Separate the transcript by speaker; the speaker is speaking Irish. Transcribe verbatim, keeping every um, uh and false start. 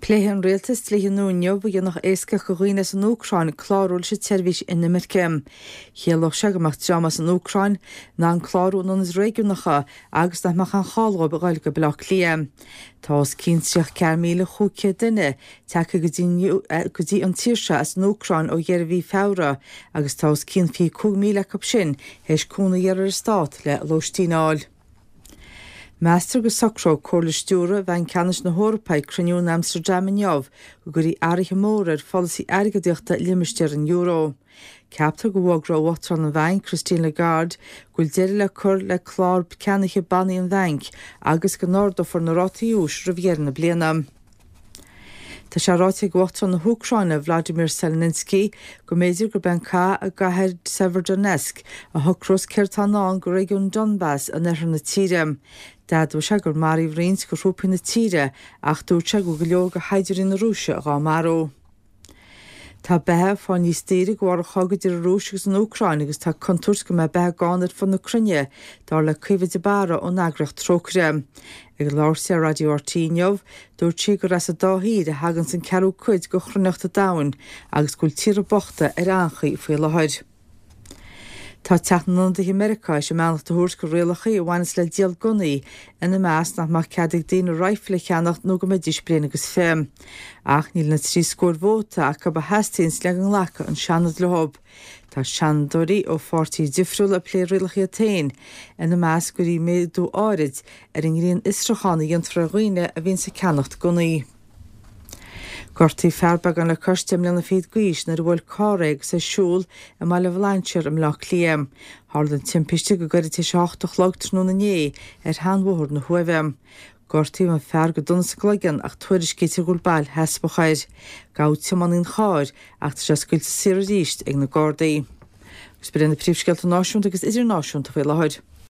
Speaker 1: Pléifidh an rialtas dlíthe nua inniu a dhéanfadh éasca do dhaoine as an Úcráin clárú leis an tseirbhís inimirce. Chiallódh sé go mbeadh dream as an Úcráin in ann clárú in ionaid réigiúnacha agus nach mbeadh aon chall dóibh a ghoil go Baile Átha Cliath. Tá os cionn tríocha ceathair míle chúig chéad duine tagtha go dtí an tír seo as an Úcráin ó dheireadh mhí Feabhra agus tá os cionn fiche cúig míle acu sin théis cúnamh a iarraidh ar an stát le lóistín a fháil. Meastar go socróidh Comhairle Stiúrtha Bhanc Ceannais na hEorpa ag cruinniú in Amsterdam inniu go gcuirfí athruithe móra ar pholasaí airgeadaíochta limistéar an euro. Ceaptar go bhfógróidh Uachtarán an Bhainc, Christine Lagarde, go bhfuil deireadh le cur le clár ceannaithe bannaí an bhainc agus go n-ardófar na rátaí úis roimh dheireadh na bliana. Tá sé ráite ag Uachtarán na hÚcráine, Vladimir Zelensky, go mb'fhéidir gurb é an cath i gcathair Severodonetsk a shocrós céard atá i ndán do réigiún Donbas in oirthear na tíre. D'admhaigh sé gur maraíodh roinnt de thrúpaí na tíre ach dúirt sé go bhfuil go leor de shaighdiúirí na Rúise dhá marú. Tá beatha ag fáil níos daoire de bharr an chogaidh idir an Rúis agus an Úcráin agus tá contúirt go mbeidh beatha gann ar fud na cruinne, dar le Caoimhe de Barra ón eagraíocht Trócaire. Ag labhairt di ar Raidió RTÉ inniu, dúirt sí gur as an dá thír a thaganns an ceathrú cuid de chruithneacht an domhain agus go bhfuil tíortha bochta ar anchaoi faoi láthair. Tá Teach na nIonadaithe i Meiriceá théis a mbeannacht a thabhairt do rialacha a bhaineas le díol gunnaí, ina measc nach mbeadh cead ag daoine raidhfil a cheannacht nó go mbeidís bliain agus fiche. Ach níl na trí scór vóta acu a theastaíonns le go nglacfadh an Seanad leo. Tá seanadóirí ó pháirtithe difriúla ag plé rialacha iad féin, ina measc go gcuirfí méadú áirid ar an ngrinnfhiosrúchán a dhéantar ar dhaoine a bhíonns ag ceannacht gunnaí. Gortaíodh fear beagán le cois deich mbliana fichead d'aois nuair a bhuail carr é agus é ag siúl i mBaile Bhlainséir i mBleá Cliath. Tharla an timpiste go gairid tar éis a hocht a chlog tráthnóna inné ar sheanbhóthar na hUaimhe. Gortaíodh an fear go dona sa gcloigeann ach tuairiscítear go bhfuil bail sheasmhach air. Gabhadh tiománaí an chairr ach tá sé scaoilte saor arís ag na Gardaí. Agus b'in na príomhscéalta náisiúnta agus idirnáisiúnta faoi láthair.